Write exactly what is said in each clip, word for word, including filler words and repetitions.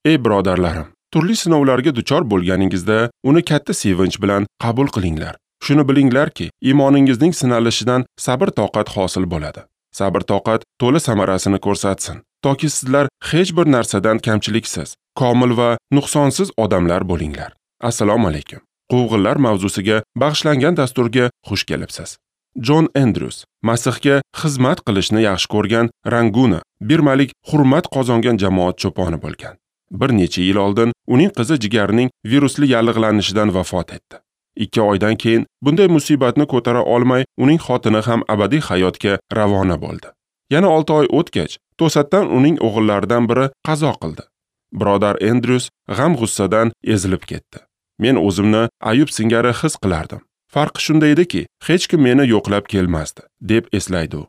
Ey birodarlarim, turli sinovlarga duchor bo'lganingizda uni katta sevinch bilan qabul qilinglar. Shuni bilinglarki, iymoningizning sinalishidan sabr-toqat hosil bo'ladi. Sabr-toqat to'la samarasini ko'rsatsin, toki sizlar hech bir narsadan kamchiliksiz, komil va nuqsonsiz odamlar bo'linglar. Assalomu alaykum. Quvg'inlar mavzusiga bag'ishlangan dasturga xush kelibsiz. Jon Endryus Masihga xizmat qilishni yaxshi ko'rgan Ranguna, birmalik hurmat qozongan jamoat cho'poni bo'lgan. Bir necha yil oldin uning qizi jigarining virusli yallig'lanishidan vafot etdi. Ikki oydan keyin bunday musibatni ko'tara olmay, uning xotini ham abadiy hayotga ravona bo'ldi. Yana olti oy o'tgach, to'satdan uning o'g'illaridan biri qazo qildi. Birodar Endryus g'am-g'ussadan ezilib ketdi. Men o'zimni Ayub singari his qilardim. Farqi shunda ediki, hech kim meni yo'qlab kelmasdi, deb eslaydi u.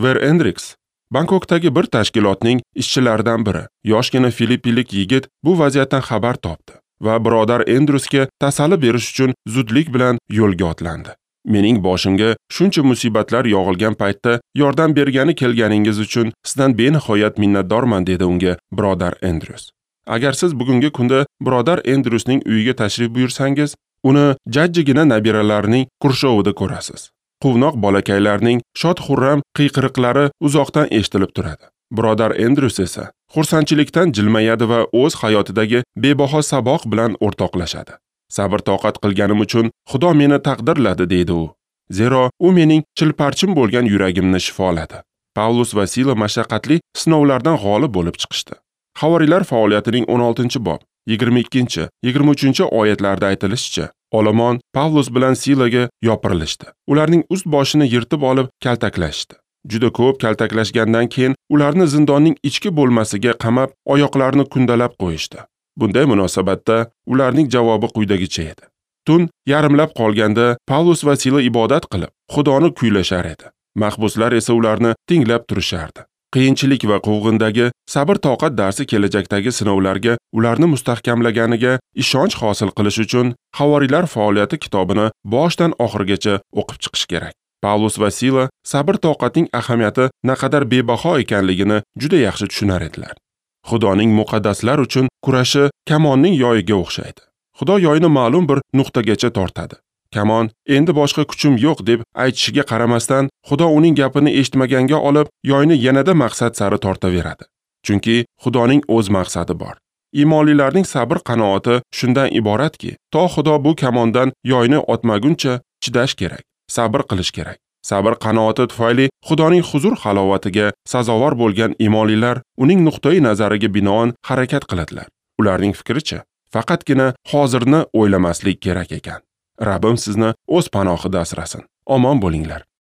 Ver Endriks Bangkokdagi bir tashkilotning ishchilaridan biri, yoshgina filippinlik yigit bu vaziyatdan xabar topdi va birodar Endryusga tasalli berish uchun zudlik bilan yo'lga otlandi. Mening boshimga shuncha musibatlar yog'ilgan paytda yordam bergani kelganingiz uchun sizdan benihoyat minnatdorman, dedi unga birodar Endryus. Agar siz bugungi kunda birodar Endryusning uyiga tashrif buyursangiz, uni jajjigina nabiralarining qurshovida ko'rasiz. Quvnoq bolakaylarning shod-xurram qiyqiriqlari uzoqdan eshitilib turadi. Birodar Endryus esa xursandchilikdan jilmayadi va o'z hayotidagi bebaho saboq bilan o'rtoqlashadi. Sabr-toqat qilganim uchun Xudo meni taqdirladi, deydi u. Zero u mening chilparchin bo'lgan yuragimni shifoladi. Pavlus va Sila mashaqqatli sinovlardan g'olib bo'lib chiqishdi. Havoriylar faoliyatining o'n oltinchi bob, yigirma ikkinchi, yigirma uchinchi oyatlarda aytilishicha, olomon Pavlus bilan Silaga yopirilishdi. Ularning ust boshini yirtib olib kaltaklashdi. Juda ko'p kaltaklashgandan keyin ularni zindonning ichki bo'lmasiga qamab, oyoqlarini kundalab qo'yishdi. Bunday munosabatda ularning javobi quyidagicha edi. Tun yarimlab qolganda Pavlus va Sila ibodat qilib, Xudoni kuylashar edi. Mahbuslar esa ularni tinglab turishardi. Qiyinchilik va quvg'indagi sabr-toqat darsi kelajakdagi sinovlarga ularni mustahkamlaganiga ishonch hosil qilish uchun Havoriylar faoliyati kitobini boshdan oxirigacha o'qib chiqish kerak. Pavlus va Sila sabr-toqatning ahamiyati naqadar bebaho ekanligini juda yaxshi tushunar edilar. Xudoning muqaddaslar uchun kurashi kamonning yoyiga o'xshaydi. Xudo yoyni ma'lum bir nuqtagacha tortadi. Kamon endi boshqa kuchim yo'q deb aytishiga qaramasdan, Xudo uning gapini eshitmaganga olib, yoyni yanada maqsad sari tortaveradi. Chunki Xudoning o'z maqsadi bor. Iymonlilarning sabr qanoati shundan iboratki, to Xudo bu kamondan yoyni otmaguncha chidash kerak, sabr qilish kerak. Sabr qanoati tufayli Xudoning huzur halovatiga sazovor bo'lgan iymonlilar uning nuqtai nazariga binoan harakat qiladilar. Ularning fikricha, faqatgina hozirni o'ylamaslik kerak ekan. Rabbim sizni o'z panohida asrasin. Omon bo'linglar.